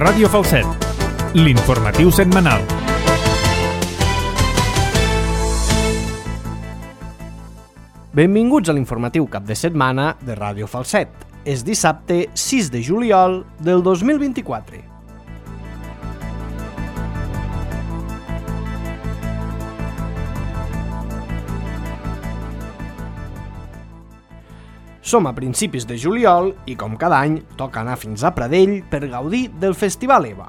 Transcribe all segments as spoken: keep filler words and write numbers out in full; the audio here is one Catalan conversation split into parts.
Ràdio Falset, l'informatiu setmanal. Benvinguts a l'informatiu cap de setmana de Ràdio Falset. És dissabte sis de juliol del dos mil vint-i-quatre. Som a principis de juliol i, com cada any, toca anar fins a Pradell per gaudir del Festival EVA.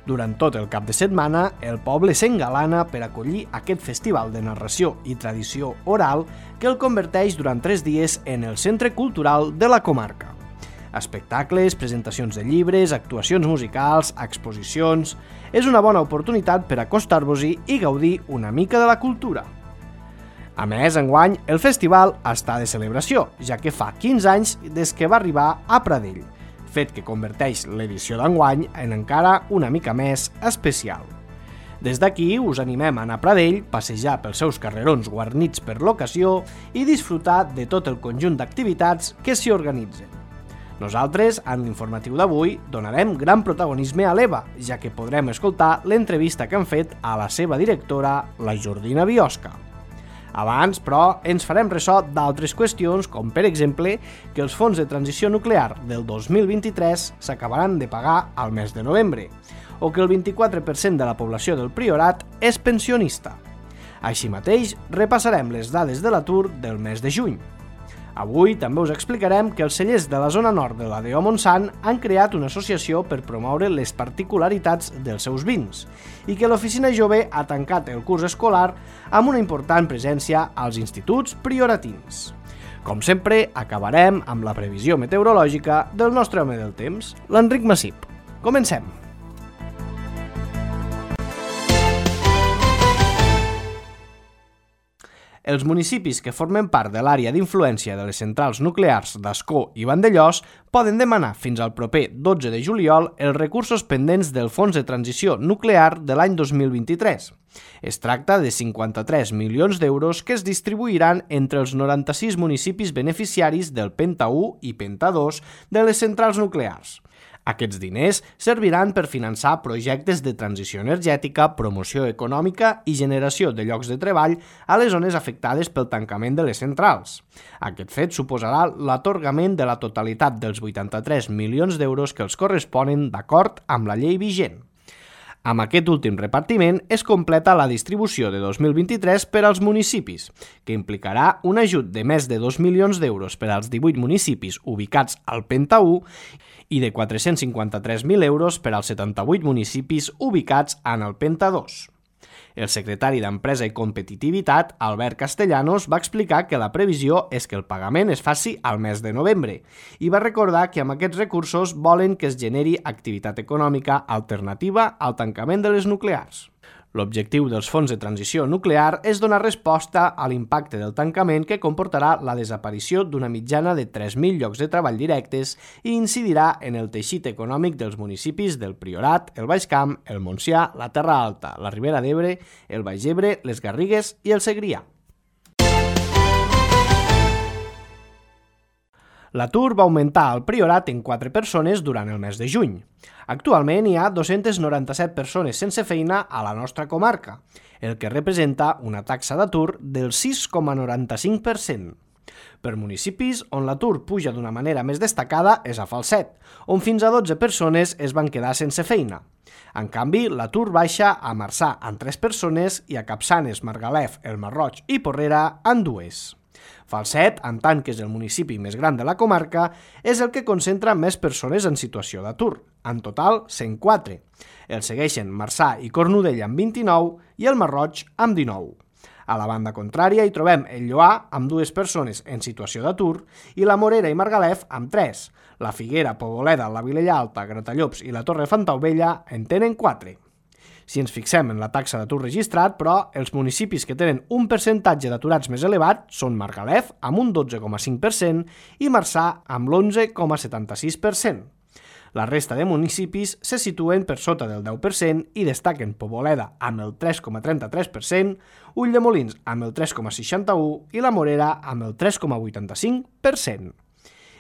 Durant tot el cap de setmana, el poble s'engalana per acollir aquest festival de narració i tradició oral que el converteix durant tres dies en el centre cultural de la comarca. Espectacles, presentacions de llibres, actuacions musicals, exposicions... És una bona oportunitat per acostar-vos-hi i gaudir una mica de la cultura. A més, enguany, el festival està de celebració, ja que fa quinze anys des que va arribar a Pradell, fet que converteix l'edició d'enguany en encara una mica més especial. Des d'aquí us animem a anar a Pradell, passejar pels seus carrerons guarnits per l'ocasió i disfrutar de tot el conjunt d'activitats que s'hi organitzen. Nosaltres, en l'informatiu d'avui, donarem gran protagonisme a l'EVA, ja que podrem escoltar l'entrevista que han fet a la seva directora, la Jordina Biosca. Abans, però, ens farem ressò d'altres qüestions, com per exemple que els fons de transició nuclear del dos mil vint-i-tres s'acabaran de pagar al mes de novembre, o que el vint-i-quatre per cent de la població del Priorat és pensionista. Així mateix, repassarem les dades de l'atur del mes de juny. Avui també us explicarem que els cellers de la zona nord de la D O Montsant han creat una associació per promoure les particularitats dels seus vins i que l'Oficina Jove ha tancat el curs escolar amb una important presència als instituts prioratins. Com sempre, acabarem amb la previsió meteorològica del nostre home del temps, l'Enric Massip. Comencem! Els municipis que formen part de l'àrea d'influència de les centrals nuclears d'Ascó i Vandellòs poden demanar fins al proper dotze de juliol els recursos pendents del Fons de Transició Nuclear de l'any dos mil vint-i-tres. Es tracta de cinquanta-tres milions d'euros que es distribuiran entre els noranta-sis municipis beneficiaris del Penta u i Penta dos de les centrals nuclears. Aquests diners serviran per finançar projectes de transició energètica, promoció econòmica i generació de llocs de treball a les zones afectades pel tancament de les centrals. Aquest fet suposarà l'atorgament de la totalitat dels vuitanta-tres milions d'euros que els corresponen d'acord amb la llei vigent. Amb aquest últim repartiment es completa la distribució de dos mil vint-i-tres per als municipis, que implicarà un ajut de més de dos milions d'euros per als divuit municipis ubicats al Penta u i de quatre-cents cinquanta-tres mil euros per als setanta-vuit municipis ubicats en el Penta dos. El secretari d'Empresa i Competitivitat, Albert Castellanos, va explicar que la previsió és que el pagament es faci al mes de novembre i va recordar que amb aquests recursos volen que es generi activitat econòmica alternativa al tancament de les nuclears. L'objectiu dels fons de transició nuclear és donar resposta a l'impacte del tancament que comportarà la desaparició d'una mitjana de tres mil llocs de treball directes i incidirà en el teixit econòmic dels municipis del Priorat, el Baix Camp, el Montsià, la Terra Alta, la Ribera d'Ebre, el Baix Ebre, les Garrigues i el Segrià. L'atur va augmentar al Priorat en quatre persones durant el mes de juny. Actualment hi ha dos-centes noranta-set persones sense feina a la nostra comarca, el que representa una taxa d'atur del sis coma noranta-cinc per cent. Per municipis on l'atur puja d'una manera més destacada és a Falset, on fins a dotze persones es van quedar sense feina. En canvi, l'atur baixa a Marçà amb tres persones i a Capçanes, Margalef, el Marroig i Porrera amb dues. Falset, en tant que és el municipi més gran de la comarca, és el que concentra més persones en situació d'atur, en total cent quatre. El segueixen Marçà i Cornudella amb vint-i-nou i el Marroig amb dinou. A la banda contrària hi trobem el Lloar amb dues persones en situació d'atur i la Morera i Margalef amb tres. La Figuera, Poboleda, la Vilella Alta, Gratallops i la Torre Fontaubella en tenen quatre. Si ens fixem en la taxa d'atur registrat, però, els municipis que tenen un percentatge d'aturats més elevat són Margalef, amb un dotze coma cinc per cent, i Marçà, amb l'onze coma setanta-sis per cent. La resta de municipis se situen per sota del deu per cent i destaquen Poboleda amb el tres coma trenta-tres per cent, Ulldemolins amb el tres coma seixanta-u i la Morera amb el tres coma vuitanta-cinc per cent.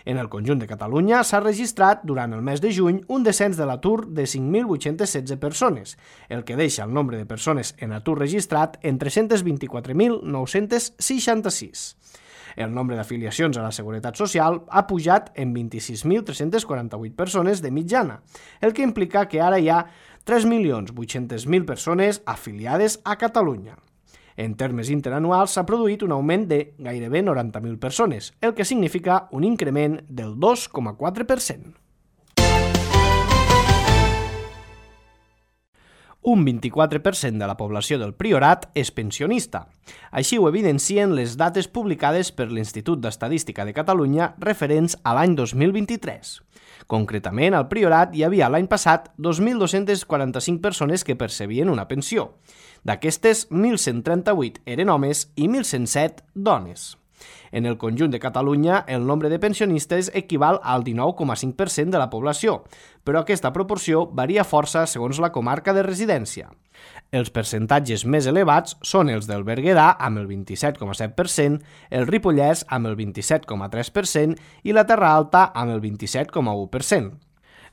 En el conjunt de Catalunya s'ha registrat durant el mes de juny un descens de l'atur de cinc mil vuit-centes setze persones, el que deixa el nombre de persones en atur registrat en tres-cents vint-i-quatre mil nou-cents seixanta-sis. El nombre d'afiliacions a la Seguretat Social ha pujat en vint-i-sis mil tres-cents quaranta-vuit persones de mitjana, el que implica que ara hi ha tres milions vuit-cents mil persones afiliades a Catalunya. En termes interanuals s'ha produït un augment de gairebé noranta mil persones, el que significa un increment del dos coma quatre per cent. Un vint-i-quatre per cent de la població del Priorat és pensionista. Així ho evidencien les dates publicades per l'Institut d'Estadística de Catalunya referents a l'any dos mil vint-i-tres. Concretament, al Priorat hi havia l'any passat dos mil dos-cents quaranta-cinc persones que percebien una pensió. D'aquestes, mil cent trenta-vuit eren homes i mil cent set dones. En el conjunt de Catalunya, el nombre de pensionistes equival al dinou coma cinc per cent de la població, però aquesta proporció varia força segons la comarca de residència. Els percentatges més elevats són els del Berguedà amb el vint-i-set coma set per cent, el Ripollès amb el vint-i-set coma tres per cent i la Terra Alta amb el vint-i-set coma u per cent.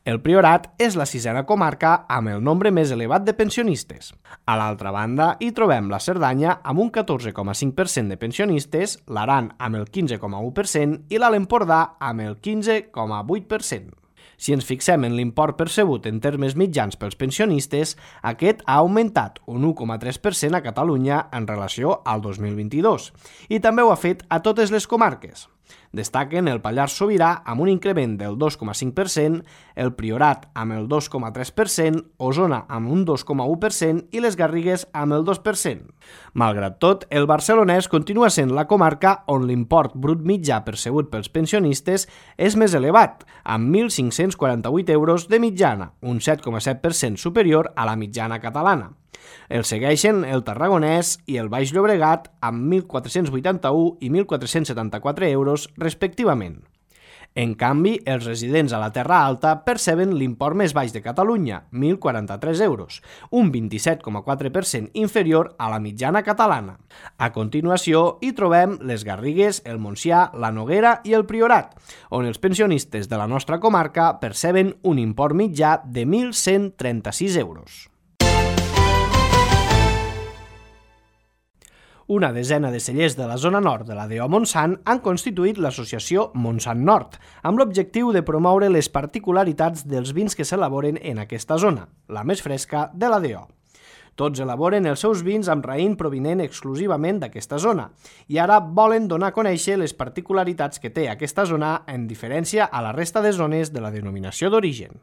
El Priorat és la sisena comarca amb el nombre més elevat de pensionistes. A l'altra banda, hi trobem la Cerdanya amb un catorze coma cinc per cent de pensionistes, l'Aran amb el quinze coma u per cent i l'Alt Empordà amb el quinze coma vuit per cent. Si ens fixem en l'import percebut en termes mitjans pels pensionistes, aquest ha augmentat un u coma tres per cent a Catalunya en relació al dos mil vint-i-dos i també ho ha fet a totes les comarques. Destaquen el Pallars Sobirà amb un increment del dos coma cinc per cent, el Priorat amb el dos coma tres per cent, Osona amb un dos coma u per cent i les Garrigues amb el dos per cent. Malgrat tot, el Barcelonès continua sent la comarca on l'import brut mitjà percebut pels pensionistes és més elevat, amb mil cinc-cents quaranta-vuit euros de mitjana, un set coma set per cent superior a la mitjana catalana. El segueixen el Tarragonès i el Baix Llobregat amb mil quatre-cents vuitanta-u i mil quatre-cents setanta-quatre euros respectivament. En canvi, els residents a la Terra Alta perceben l'import més baix de Catalunya, mil quaranta-tres euros, un vint-i-set coma quatre per cent inferior a la mitjana catalana. A continuació, hi trobem les Garrigues, el Montsià, la Noguera i el Priorat, on els pensionistes de la nostra comarca perceben un import mitjà de mil cent trenta-sis euros. Una desena de cellers de la zona nord de la D O Montsant han constituït l'associació Montsant Nord, amb l'objectiu de promoure les particularitats dels vins que s'elaboren en aquesta zona, la més fresca de la D O. Tots elaboren els seus vins amb raïm provinent exclusivament d'aquesta zona i ara volen donar a conèixer les particularitats que té aquesta zona en diferència a la resta de zones de la denominació d'origen.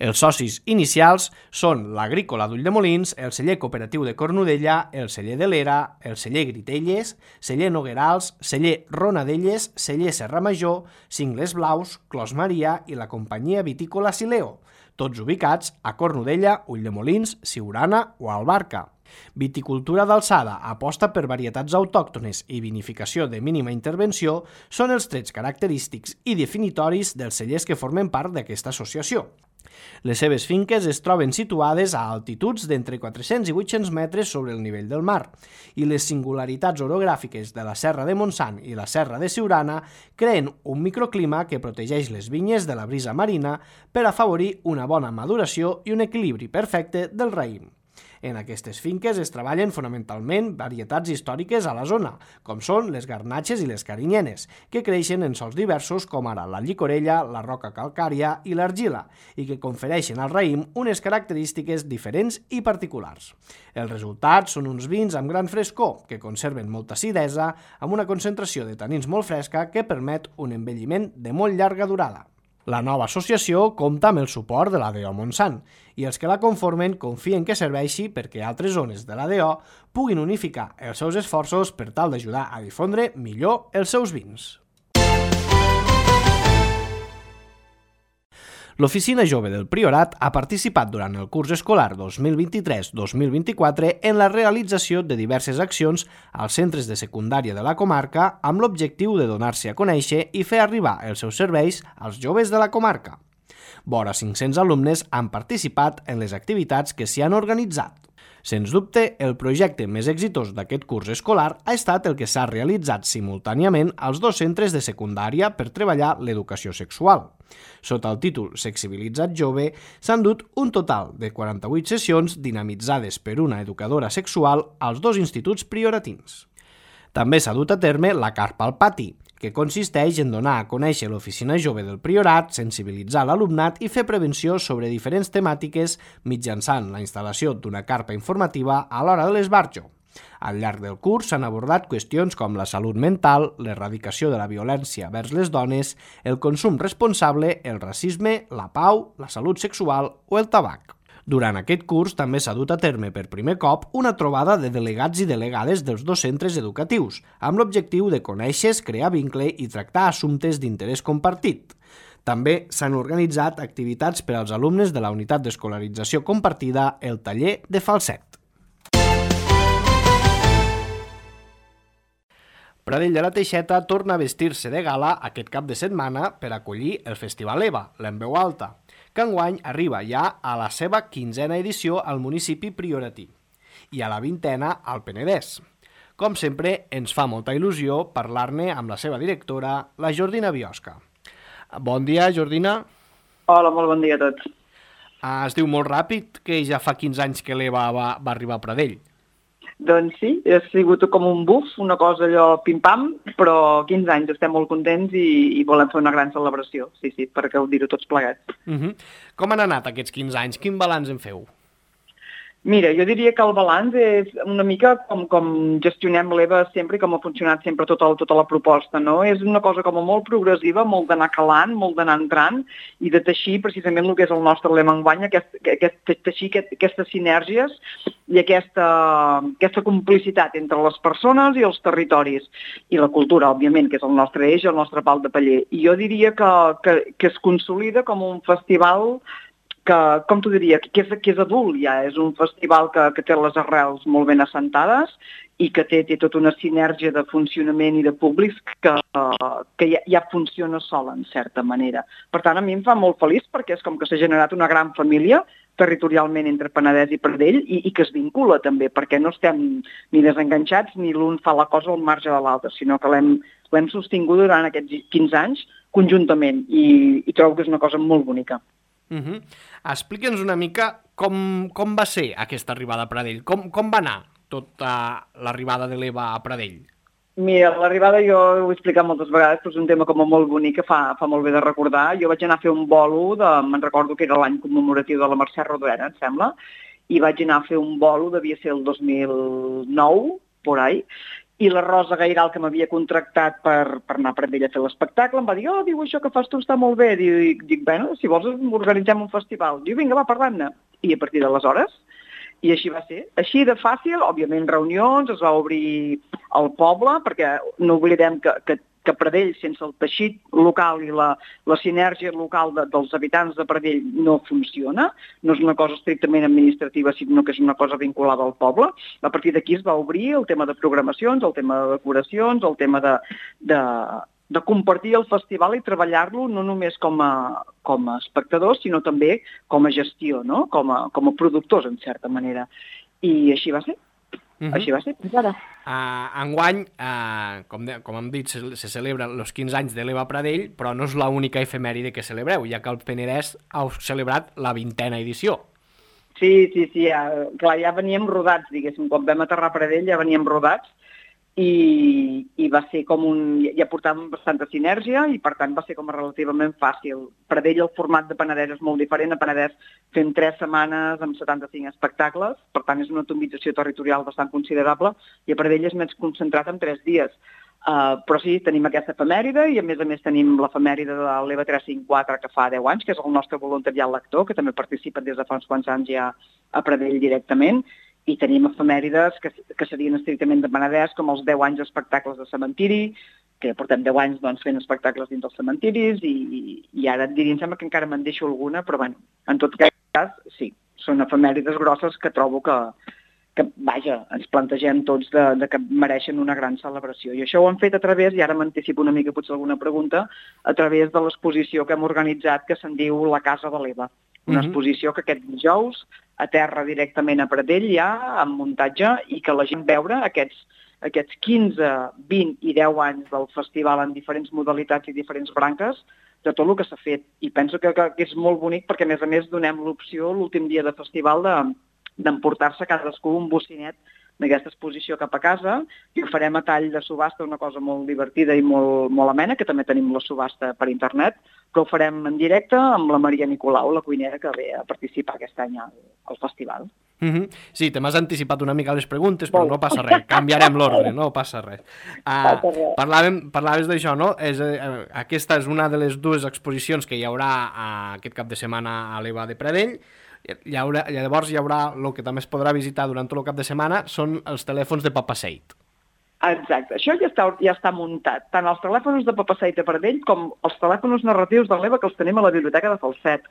Els socis inicials són l'Agrícola d'Ulldemolins, el celler cooperatiu de Cornudella, el celler de l'Era, el celler Gritelles, celler Noguerals, celler Ronadelles, celler Serra Major, Cingles Blaus, Clos Maria i la companyia vitícola Sileo, tots ubicats a Cornudella, Ulldemolins, Siurana o Albarca. Viticultura d'alçada, aposta per varietats autòctones i vinificació de mínima intervenció són els trets característics i definitoris dels cellers que formen part d'aquesta associació. Les seves finques es troben situades a altituds d'entre quatre-cents i vuit-cents metres sobre el nivell del mar i les singularitats orogràfiques de la Serra de Montsant i la Serra de Siurana creen un microclima que protegeix les vinyes de la brisa marina per afavorir una bona maduració i un equilibri perfecte del raïm. En aquestes finques es treballen fonamentalment varietats històriques a la zona, com són les garnatxes i les carinyenes, que creixen en sòls diversos com ara la llicorella, la roca calcària i l'argila, i que confereixen al raïm unes característiques diferents i particulars. Els resultats són uns vins amb gran frescor, que conserven molta acidesa, amb una concentració de tanins molt fresca que permet un envelliment de molt llarga durada. La nova associació compta amb el suport de la D O Montsant i els que la conformen confien que serveixi perquè altres zones de la D O puguin unificar els seus esforços per tal d'ajudar a difondre millor els seus vins. L'Oficina Jove del Priorat ha participat durant el curs escolar dos mil vint-i-tres dos mil vint-i-quatre en la realització de diverses accions als centres de secundària de la comarca amb l'objectiu de donar-se a conèixer i fer arribar els seus serveis als joves de la comarca. Vora cinc-cents alumnes han participat en les activitats que s'hi han organitzat. Sens dubte, el projecte més exitós d'aquest curs escolar ha estat el que s'ha realitzat simultàniament als dos centres de secundària per treballar l'educació sexual. Sota el títol Sexibilitzat Jove, s'han dut un total de quaranta-vuit sessions dinamitzades per una educadora sexual als dos instituts prioratins. També s'ha dut a terme la Carpa al Pati, que consisteix en donar a conèixer l'Oficina Jove del Priorat, sensibilitzar l'alumnat i fer prevenció sobre diferents temàtiques mitjançant la instal·lació d'una carpa informativa a l'hora de l'esbarjo. Al llarg del curs s'han abordat qüestions com la salut mental, l'erradicació de la violència vers les dones, el consum responsable, el racisme, la pau, la salut sexual o el tabac. Durant aquest curs també s'ha dut a terme per primer cop una trobada de delegats i delegades dels dos centres educatius, amb l'objectiu de conèixer, crear vincle i tractar assumptes d'interès compartit. També s'han organitzat activitats per als alumnes de la unitat d'escolarització compartida, el taller de falset. Pradell de la Teixeta torna a vestir-se de gala aquest cap de setmana per acollir el Festival EVA, l'En Veu Alta, que enguany arriba ja a la seva quinzena edició al municipi prioratí i a la vintena al Penedès. Com sempre, ens fa molta il·lusió parlar-ne amb la seva directora, la Jordina Biosca. Bon dia, Jordina. Hola, molt bon dia a tots. Ah, es diu molt ràpid que ja fa quinze anys que l'EVA va, va arribar a Pradell. Doncs sí, ha sigut com un buf, una cosa allò pim-pam, però quinze anys, estem molt contents i, i volem fer una gran celebració, sí, sí, per gaudir-ho tots plegats. Uh-huh. Com han anat aquests quinze anys? Quin balanç en feu? Mira, jo diria que el balanç és una mica com, com gestionem l'EVA sempre i com ha funcionat sempre tota, tota la proposta, no? És una cosa com molt progressiva, molt d'anar calant, molt d'anar entrant i de teixir precisament el que és el nostre lema enguany, aquest, aquest, teixir aquest, aquestes sinergies i aquesta, aquesta complicitat entre les persones i els territoris i la cultura, òbviament, que és el nostre eix, el nostre pal de paller. I jo diria que, que, que es consolida com un festival que, com t'ho diria, que és, que és adult ja, és un festival que, que té les arrels molt ben assentades i que té, té tota una sinergia de funcionament i de públics que, que ja, ja funciona sola, en certa manera. Per tant, a mi em fa molt feliç perquè és com que s'ha generat una gran família territorialment entre Penedès i Pradell i, i que es vincula també, perquè no estem ni desenganxats ni l'un fa la cosa al marge de l'altre, sinó que l'hem l'hem sostingut durant aquests quinze anys conjuntament i, i trobo que és una cosa molt bonica. Uh-huh. Explica'ns una mica com, com va ser aquesta arribada a Pradell, com, com va anar tota l'arribada de l'EVA a Pradell? Mira, l'arribada jo ho he explicat moltes vegades, però és un tema com molt bonic que fa, fa molt bé de recordar. Jo vaig anar a fer un bolo, de, me'n recordo que era l'any commemoratiu de la Mercè Rodoreda, em sembla, i vaig anar a fer un bolo, devia ser el dos mil nou, por ahí, i la Rosa Gairal, que m'havia contractat per, per anar a Pradell a fer l'espectacle, em va dir, oh, diu, això que fas tu està molt bé. Dic, dic bueno, si vols organitzem un festival. Diu, vinga, va, parlant-ne. I a partir d'aleshores, i així va ser. Així de fàcil, òbviament reunions, es va obrir al poble, perquè no oblidem que, que, que Pradell, sense el teixit local i la, la sinergia local de, dels habitants de Pradell no funciona. No és una cosa estrictament administrativa, sinó que és una cosa vinculada al poble. A partir d'aquí es va obrir el tema de programacions, el tema de decoracions, el tema de, de, de compartir el festival i treballar-lo no només com a, com a espectadors, sinó també com a gestió, no? com, a, com a productors, en certa manera. I així va ser. Uh-huh. Així va ser, fins ara. Uh, enguany, uh, com, de, com hem dit, se, se celebren els quinze anys de l'EVA Pradell, però no és l'única efemèride que celebreu, ja que el Penedès heu celebrat la vintena edició. Sí, sí, sí, ja, clar, ja veníem rodats, diguéssim, quan vam aterrar a Pradell ja veníem rodats i, i va ser com un... ja portàvem bastanta sinergia i per tant va ser com relativament fàcil. Pradell, el format de Penedès és molt diferent, a Penedès fem tres setmanes amb setanta-cinc espectacles, per tant és una atomització territorial bastant considerable i a Pradell és més concentrat en tres dies. Uh, però sí, tenim aquesta efemèride i a més a més tenim l'efemèride de l'EVA tres cinc quatre que fa deu anys, que és el nostre voluntariat lector, que també participa des de fa uns quants anys ja a Pradell directament, i tenim efemèrides que, que serien estrictament de Penedès, com els deu anys d'espectacles de cementiri, que portem deu anys doncs, fent espectacles dins dels cementiris, i, i ara et diria, em sembla que encara me'n deixo alguna, però bueno, en tot cas, sí, són efemèrides grosses que trobo que, que vaja, ens plantegem tots de, de que mereixen una gran celebració. I això ho hem fet a través, i ara m'anticipo una mica potser alguna pregunta, a través de l'exposició que hem organitzat que se'n diu La Casa de l'Eva. Una exposició que aquest dijous a terra directament a Pradell ja, amb muntatge, i que la gent veure aquests, aquests quinze, vint i deu anys del festival en diferents modalitats i diferents branques de tot el que s'ha fet. I penso que, que, que és molt bonic perquè, a més a més, donem l'opció l'últim dia de festival de, d'emportar-se cadascú un bocinet d'aquesta exposició cap a casa, i ho farem a tall de subhasta, una cosa molt divertida i molt, molt amena, que també tenim la subhasta per internet, però ho farem en directe amb la Maria Nicolau, la cuinera que ve a participar aquest any al, al festival. Mm-hmm. Sí, te m'has anticipat una mica les preguntes, però no passa res, canviarem l'ordre, no passa res. Uh, parlàvem, parlaves d'això, no? És, eh, aquesta és una de les dues exposicions que hi haurà uh, aquest cap de setmana a l'Eva de Pradell. Hi haurà, llavors hi haurà, el que també es podrà visitar durant tot el cap de setmana són els telèfons de Papaseit. Exacte, això ja està, ja està muntat. Tant els telèfons de Papaseit de Pradell com els telèfons narratius de l'Eva, que els tenim a la biblioteca de Falset.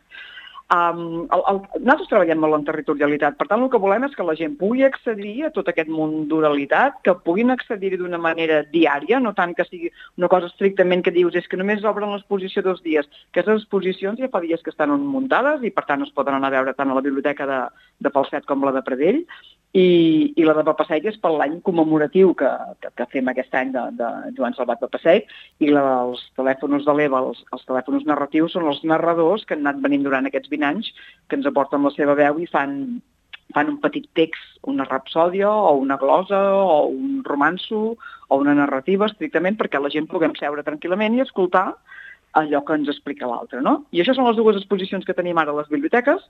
Um, el, el, nosaltres treballem molt en territorialitat, per tant el que volem és que la gent pugui accedir a tot aquest món d'oralitat, que puguin accedir-hi d'una manera diària, no tant que sigui una cosa estrictament que dius és que només obren l'exposició dos dies. Aquestes exposicions ja fa dies que estan muntades i per tant es poden anar a veure tant a la biblioteca de, de Falset com la de Pradell, i, i la de Papaseit és per l'any commemoratiu que, que, que fem aquest any de, de Joan Salvat Papaseit, i la dels telèfons de l'Eva, els, els telèfons narratius, són els narradors que han anat venint durant aquests vint anys, que ens aporten la seva veu i fan, fan un petit text, una rapsòdia o una glosa o un romanço o una narrativa estrictament perquè la gent puguem seure tranquil·lament i escoltar allò que ens explica l'altre, no? I això són les dues exposicions que tenim ara a les biblioteques,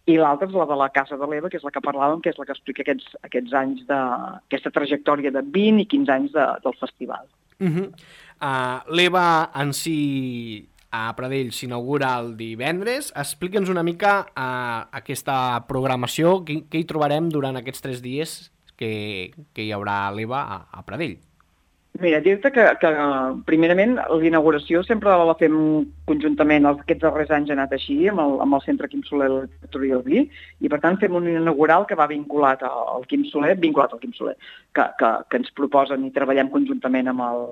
i l'altra és la de la Casa de l'Eva, que és la que parlàvem, que és la que explica aquests, aquests anys de, aquesta trajectòria de vint i quinze anys de, del festival. Uh-huh. uh, L'Eva en si a Pradell s'inaugura el divendres. Explica'ns una mica uh, aquesta programació, què, què hi trobarem durant aquests tres dies que, que hi haurà l'Eva a, a Pradell. Mira, dir-te que, que primerament l'inauguració sempre la fem conjuntament, aquests darrers anys ha anat així, amb el, amb el Centre Quim Soler de Literatura i el Vi, i per tant fem un inaugural que va vinculat al Quim Soler, vinculat al Quim Soler, que, que, que ens proposen i treballem conjuntament amb el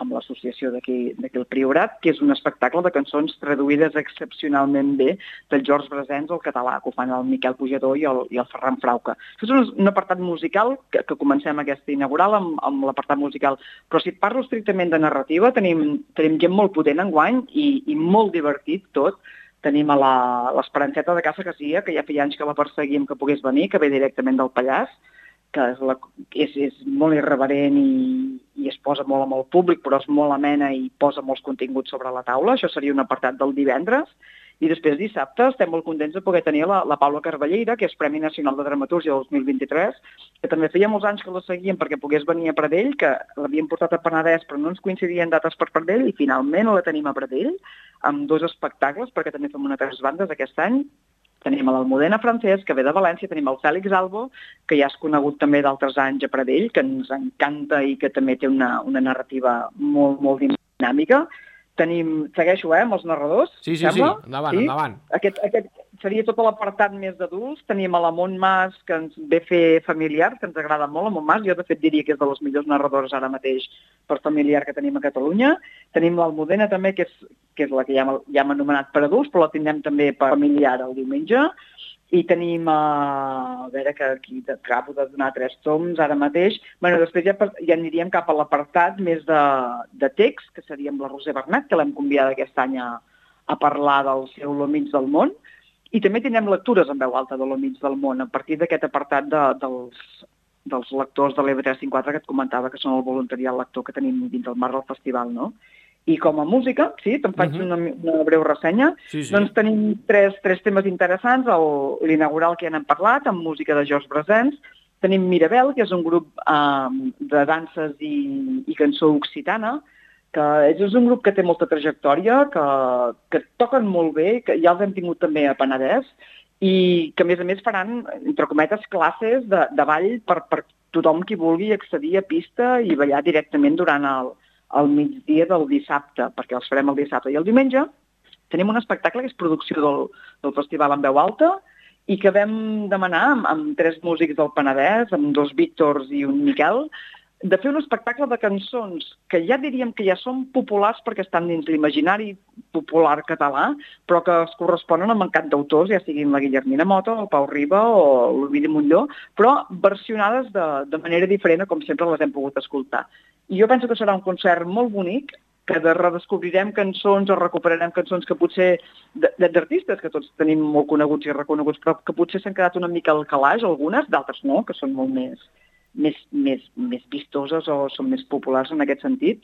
amb l'associació d'aquí al Priorat, que és un espectacle de cançons traduïdes excepcionalment bé del George Brassens al català, que ho fan el Miquel Pujador i el, i el Ferran Frauca. Això és un, un apartat musical que, que comencem aquesta inaugural amb, amb l'apartat musical, però si et parlo estrictament de narrativa, tenim, tenim gent molt potent enguany i, i molt divertit tot. Tenim a l'Esperanceta de Casa Casia, que ja feia anys que la perseguíem que pogués venir, que ve directament del Pallars, que és, la, és, és molt irreverent i, i es posa molt amb el públic, però és molt amena i posa molts continguts sobre la taula. Això seria un apartat del divendres. I després dissabte estem molt contents de poder tenir la, la Paula Carballeira, que és Premi Nacional de Dramatúrgia dos mil vint-i-tres, que també feia molts anys que la seguíem perquè pogués venir a Pradell, que l'havíem portat a Penedès però no ens coincidien dates per Pradell, i finalment la tenim a Pradell, amb dos espectacles, perquè també fem una tres bandes aquest any. Tenim l'Almudena Francesc, que ve de València, tenim el Fèlix Albo, que ja és conegut també d'altres anys a Pradell, que ens encanta i que també té una, una narrativa molt, molt dinàmica. Tenim, segueixo, eh, amb els narradors, sí, sí, sembla? Sí, endavant, sí? endavant. Aquest, aquest seria tot l'apartat més d'adults. Tenim a la Mont Mas, que ens ve fer familiar, que ens agrada molt, la Mont Mas. Jo, de fet, diria que és de les millors narradores ara mateix per familiar que tenim a Catalunya. Tenim l'Almudena, també, que és, que és la que ja, ja hem anomenat per adults, però la tindrem també per familiar el diumenge. I tenim, uh, a veure, que aquí acabo de donar tres toms ara mateix. Bueno, després ja, ja aniríem cap a l'apartat més de, de text, que seria amb la Roser Bernat, que l'hem convidat aquest any a, a parlar del seu Lo mig del món. I també tindrem lectures en veu alta de Lo mig del món, a partir d'aquest apartat de, dels, dels lectors de l'E V tres cent quatre que et comentava, que són el voluntariat lector que tenim dins del marc del festival, no? I com a música, sí, te'n faig uh-huh. una, una breu ressenya, sí, sí. Doncs tenim tres, tres temes interessants, l'inaugural que ja n'hem parlat, amb música de George Brassens. Tenim Mirabel, que és un grup eh, de danses i, i cançó occitana, que és un grup que té molta trajectòria, que, que toquen molt bé, que ja els hem tingut també a Penedès, i que a més a més faran, entre cometes, classes de, de ball per, per tothom qui vulgui accedir a pista i ballar directament durant el al migdia del dissabte, perquè els farem el dissabte. I el diumenge tenim un espectacle que és producció del, del Festival en veu alta i que vam demanar amb, amb tres músics del Penedès, amb dos Víctors i un Miquel, de fer un espectacle de cançons que ja diríem que ja són populars perquè estan dins l'imaginari popular català, però que es corresponen amb encant d'autors, ja siguin la Guillermina Mota, el Pau Riba o l'Ovidi Montllor, però versionades de, de manera diferent, com sempre les hem pogut escoltar. I jo penso que serà un concert molt bonic, que de redescobrirem cançons o recuperarem cançons que potser d'artistes que tots tenim molt coneguts i reconeguts, però que potser s'han quedat una mica al calaix, algunes, d'altres no, que són molt més... Més, més, més vistoses o són més populars en aquest sentit,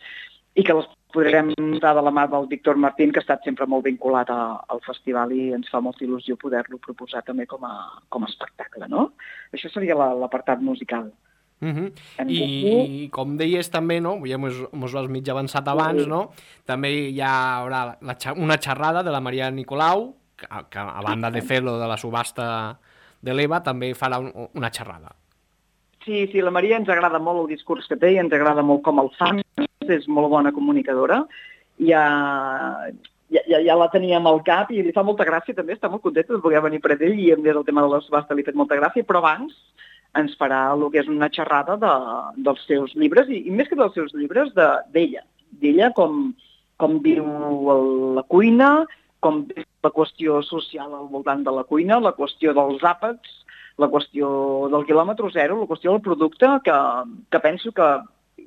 i que les podrem dar de la mà del Víctor Martín, que ha estat sempre molt vinculat a, al festival i ens fa molta il·lusió poder-lo proposar també com a, com a espectacle, no? Això seria l'apartat musical. Uh -huh. I, I com deies també, no? Ja mos, mos ho has mig avançat abans, sí. No? També hi haurà la, una xerrada de la Maria Nicolau, que, que a banda de fer-lo de la subhasta de l'Eva, també farà un, una xerrada. Sí, sí, la Maria ens agrada molt el discurs que té i ens agrada molt com el fa, és molt bona comunicadora, ja, ja, ja la teníem al cap i li fa molta gràcia també, està molt contenta de poder venir per ell i des del tema de la subhasta li ha fet molta gràcia, però abans ens farà el que és una xerrada de, dels seus llibres i, i més que dels seus llibres, d'ella, de, d'ella com, com viu la cuina, com viu la qüestió social al voltant de la cuina, la qüestió dels àpats, la qüestió del quilòmetre zero, la qüestió del producte, que, que penso que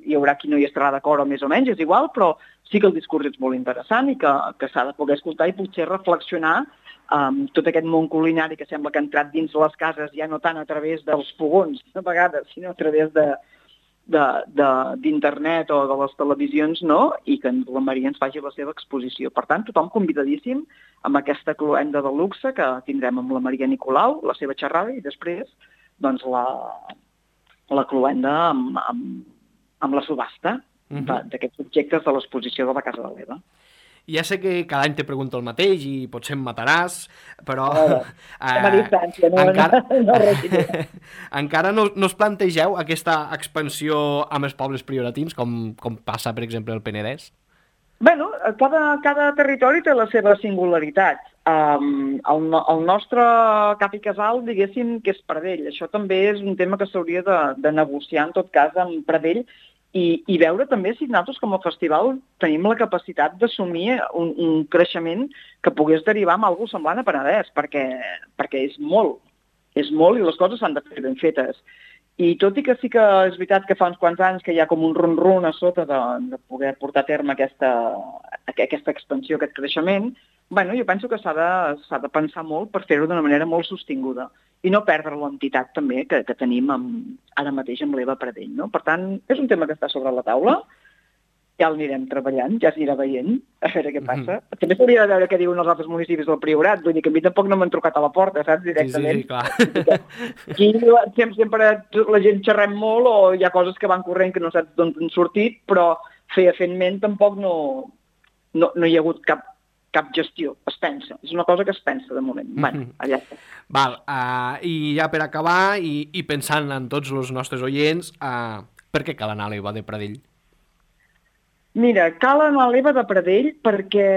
hi haurà qui no hi estarà d'acord o més o menys, és igual, però sí que el discurs és molt interessant i que, que s'ha de poder escoltar i potser reflexionar amb um, tot aquest món culinari que sembla que ha entrat dins les cases, ja no tant a través dels fogons, a vegades, sinó a través de d'internet o de les televisions, no? I que la Maria ens faci la seva exposició. Per tant, tothom convidadíssim amb aquesta cloenda de luxe que tindrem amb la Maria Nicolau, la seva xerrada, i després doncs, la, la cloenda amb, amb, amb la subhasta uh-huh. d'aquests objectes de l'exposició de la Casa de l'Eva. Ja sé que cada any te pregunto el mateix i potser em mataràs, però... Oh, a distància, no, encara, no, no, encara no, no us plantegeu aquesta expansió amb els pobles prioratins, com, com passa, per exemple, al Penedès? Bé, cada, cada territori té la seva singularitat. Um, el, el nostre cap i casal, diguéssim, que és Pradell. Això també és un tema que s'hauria de, de negociar, en tot cas, amb Pradell, I, i veure també si nosaltres com a festival tenim la capacitat d'assumir un, un creixement que pogués derivar en alguna cosa semblant a Penedès, perquè, perquè és molt, és molt i les coses s'han de fer ben fetes. I tot i que sí que és veritat que fa uns quants anys que hi ha com un ron-ron a sota de, de poder portar a terme aquesta, aquesta expansió, aquest creixement, bueno, jo penso que s'ha de, s'ha de pensar molt per fer-ho d'una manera molt sostinguda i no perdre l'entitat també que, que tenim amb, ara mateix amb l'Eva Pradell. No? Per tant, és un tema que està sobre la taula, ja l'anirem treballant, ja s'anirà veient, a veure què passa. Mm-hmm. També s'hauria de veure què diuen els altres municipis del Priorat, vull dir que a mi tampoc no m'han trucat a la porta, saps, directament. Sí, sí, clar. Aquí sempre, sempre la gent xerrem molt o hi ha coses que van corrent que no saps d'on han sortit, però fefaentment tampoc no, no, no hi ha hagut cap cap gestió, es pensa. És una cosa que es pensa de moment. Mm-hmm. Bueno, allà està. Val, uh, i ja per acabar, i, i pensant en tots els nostres oients, uh, per què cal anar a l'Eva de Pradell? Mira, cal anar a l'Eva de Pradell perquè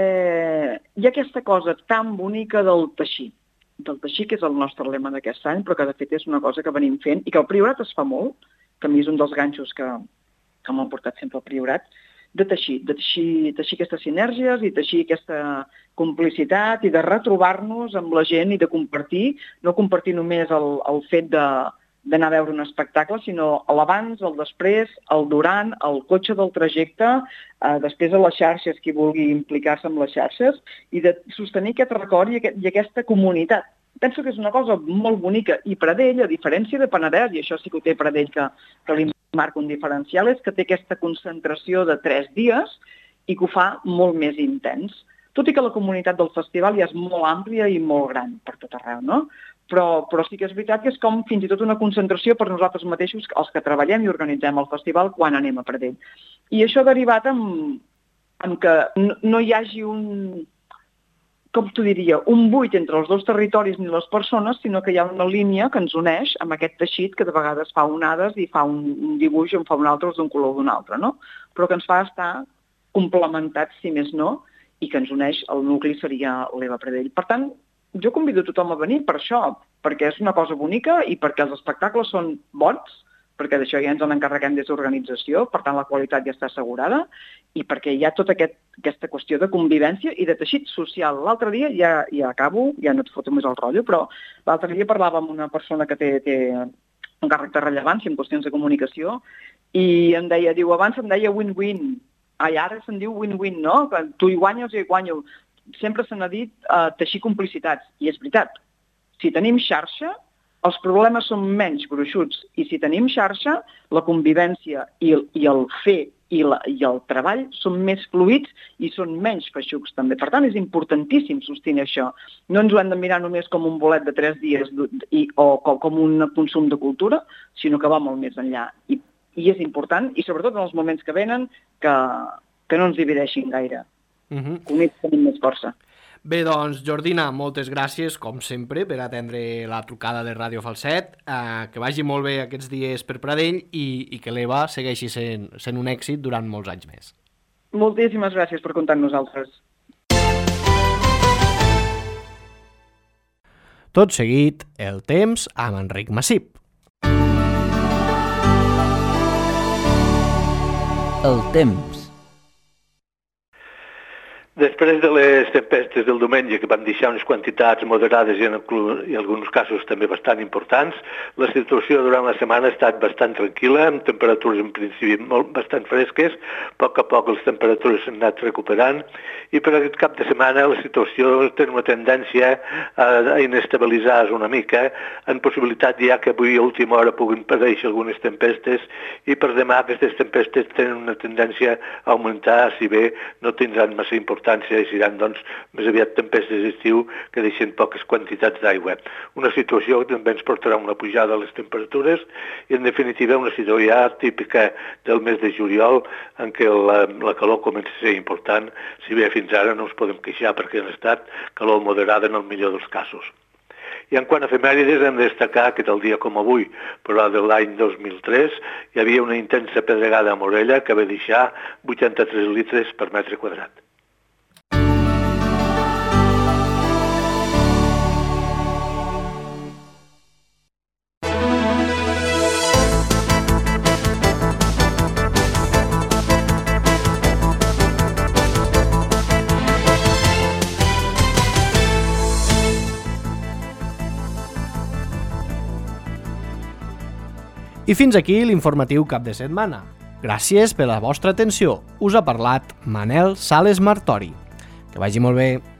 hi ha aquesta cosa tan bonica del teixir. Del teixir, que és el nostre lema d'aquest any, però que de fet és una cosa que venim fent i que el Priorat es fa molt, que a mi és un dels ganxos que, que m'han portat sempre al Priorat, de teixir, de teixir, teixir aquestes sinergies i teixir aquesta complicitat i de retrobar-nos amb la gent i de compartir, no compartir només el, el fet de, d'anar a veure un espectacle, sinó l'abans, el després, el durant, el cotxe del trajecte, eh, després a les xarxes, qui vulgui implicar-se amb les xarxes, i de sostenir aquest record i, aquest, i aquesta comunitat. Penso que és una cosa molt bonica. I Pradell, a diferència de Penedès, i això sí que ho té Pradell que, que li marca un diferencial, és que té aquesta concentració de tres dies i que ho fa molt més intens. Tot i que la comunitat del festival ja és molt àmplia i molt gran per tot arreu, no? Però, però sí que és veritat que és com fins i tot una concentració per nosaltres mateixos, els que treballem i organitzem el festival, quan anem a Pradell. I això ha derivat en, en que no, no hi hagi un, com t'ho diria, un buit entre els dos territoris ni les persones, sinó que hi ha una línia que ens uneix amb aquest teixit que de vegades fa onades i fa un, un dibuix i en fa un altre d'un color d'un altre, no? Però que ens fa estar complementats, si més no, i que ens uneix, el nucli seria l'Eva Pradell. Per tant, jo convido tothom a venir per això, perquè és una cosa bonica i perquè els espectacles són bons, perquè d'això ja ens en encarreguem des d'organització, per tant la qualitat ja està assegurada, i perquè hi ha tota aquest, aquesta qüestió de convivència i de teixit social. L'altre dia, ja, ja acabo, ja no et foto més el rotllo, però l'altre dia parlava amb una persona que té, té un càrrec de rellevància en qüestions de comunicació i em deia, diu, abans em deia win-win, ai, ara se'n diu win-win, no? Que tu hi guanyes i hi guanyo. Sempre se n'ha dit uh, teixir complicitats, i és veritat. Si tenim xarxa, els problemes són menys gruixuts, i si tenim xarxa, la convivència i el, i el fer i, la, i el treball són més fluids i són menys feixucs també. Per tant, és importantíssim sostenir això. No ens ho hem de mirar només com un bolet de tres dies i, o com un consum de cultura, sinó que va molt més enllà. I, i és important, i sobretot en els moments que venen, que, que no ens divideixin gaire. Uh-huh. Units tenim més força. Bé, doncs, Jordina, moltes gràcies, com sempre, per atendre la trucada de Ràdio Falset. Eh, que vagi molt bé aquests dies per Pradell i, i que l'E V A segueixi sent, sent un èxit durant molts anys més. Moltíssimes gràcies per comptar amb nosaltres. Tot seguit, el temps amb Enric Massip. El temps. Després de les tempestes del diumenge, que van deixar unes quantitats moderades i en, i en alguns casos també bastant importants, la situació durant la setmana ha estat bastant tranquil·la, amb temperatures en principi molt, bastant fresques. A poc a poc les temperatures s'han anat recuperant i per aquest cap de setmana la situació té una tendència a, a inestabilitzar-se una mica, en possibilitat ja que avui a última hora puguin aparèixer algunes tempestes i per demà aquestes tempestes tenen una tendència a augmentar, si bé no tindran massa importància i seran doncs, més aviat tempestes d'estiu que deixen poques quantitats d'aigua. Una situació que també ens portarà una pujada a les temperatures i, en definitiva, una situació ja típica del mes de juliol en què la, la calor comença a ser important, si bé fins ara no ens podem queixar perquè han estat calor moderada en el millor dels casos. I en quant a efemèrides hem de destacar que tal dia com avui, però de l'any dos mil tres, hi havia una intensa pedregada a Morella que va deixar vuitanta-tres litres per metre quadrat. I fins aquí l'informatiu cap de setmana. Gràcies per la vostra atenció. Us ha parlat Manel Sales Martori. Que vagi molt bé.